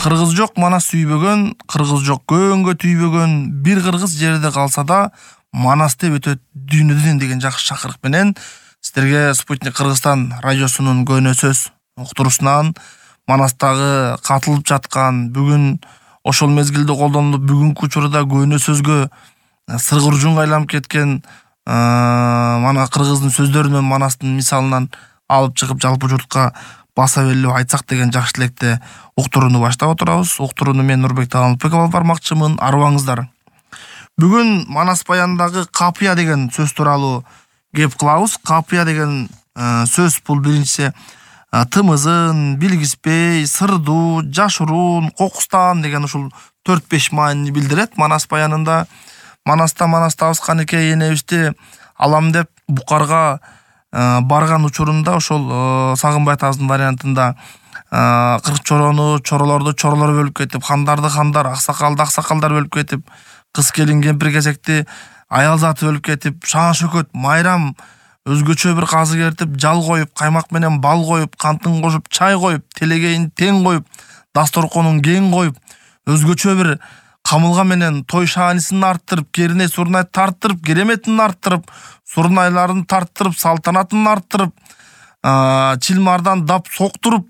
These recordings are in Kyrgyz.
Кыргыз жок Манас сүйбөгөн, кыргыз жок көөнгө түйбөгөн, бир кыргыз жерде калса да Манас деп өтөт дүйнөдөн деген жакшы чакырык менен сиздерге Спутник Кыргызстан радиосунун көнө сөз уктуруусунан Манастагы катылып жаткан бүгүн ошол мезгилде колдонулуп бүгүнкү учурда көнө сөзгө сыргыржунга айланып кеткен мана кыргыздын сөздөрүнөн Манастын мисалынан алып чыгып жалпы журтка баса белип айтсак деген жакшы тилекте уктурууну баштап отурабыз. Уктурууну мен Нурбек Таалымбеков алып бармакчымын. Арыбаңыздар. Бүгүн Манас баянындагы капыя деген сөз тууралуу кеп кылабыз. Капыя деген сөз бул биринчиси тымызын, билгиспей, сырдуу, жашыруун, кокустан деген ушул 4-5 маанини билдирет. Манас баянында Манастан табыскан эке энебизди алам деп Букарга барган учурунда ошол Сагынбай атабыздын вариантында кырк чоролорду чоролор бөлүп кетип, хандарды хандар, аксакалдар бөлүп кетип, кыз келин кемпир кезекти аял заты бөлүп кетип, шаң шөкөт, майрам өзгөчө бир казы кертип, жал коюп, каймак менен бал коюп, кантын кошуп, чай коюп, телегейин тең коюп, дасторконун кең коюп, өзгөчө бир камылга менен той шаанисин арттырып, керине сурнай тарттырып, кереметин арттырып, сурнайларын тарттырып, салтанатын арттырып, чилмардан дап соктуруп,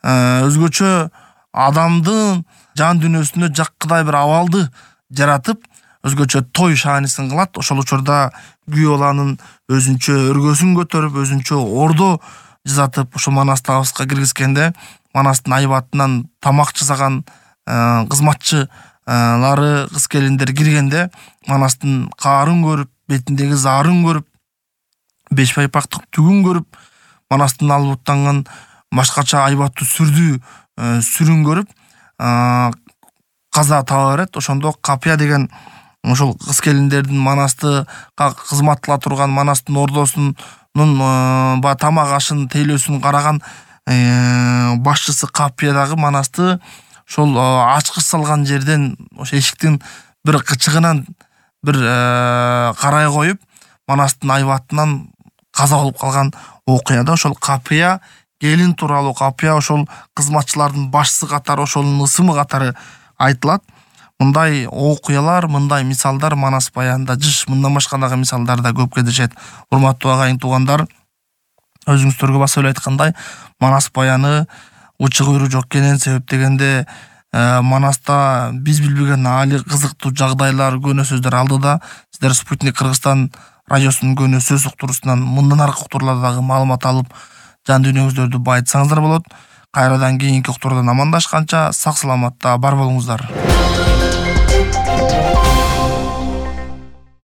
өзгөчө адамдын жан дүйнөсүнө жаккыдай бир абалды жаратып, өзгөчө той шаанисин кылат. Ошол учурда күйөө баланын өзүнчө өргөсүн көтөрүп, өзүнчө ордо жасатып, ошол Манас табыска киргизгенде Манастын айбатынан тамак жасаган кызматчылары, кыз келиндер киргенде Манастын каарын көрүп, бетиндеги заарын көрүп, беш байпактык түгүн көрүп, Манастын албуттанган башкача айбаттуу сүрүн көрүп каза таба берет. Ошондо капыя деген ошол кыз келиндердин Манасты кызмат кыла турган Манастын ордосунун тамак ашын тейлөөсүн караган башчысы капыя дагы Манасты ошол ачкыч салган жерден ошо эшиктин бир кычыгынан бир карай коюп, Манастын айбатынан каза болуп калган окуяда ошол капыя келин тууралуу, капыя ошол кызматчылардын башчысы катары, ошонун ысымы катары айтылат. Мындай окуялар, мындай мисалдар Манас баянында жыш, мындан башка дагы мисалдар да көп кездешет. Урматтуу агайын туугандар, өзүңүздөргө баса эле айткандай, Манас баяны учук үйрү жок экенин себептегенде Манаста биз билбеген али кызыктуу жагдайлар, көнө сөздөр алдыда. Сиздер Спутник Кыргызстан радиосунун көнө сөз уктуруусунан мындан аркы уктурууларда дагы маалымат алып, жан дүйнөңүздөрдү байытсаңыздар болот. Кайрадан кийинки уктуруудан амандашканча сак саламатта бар болуңуздар.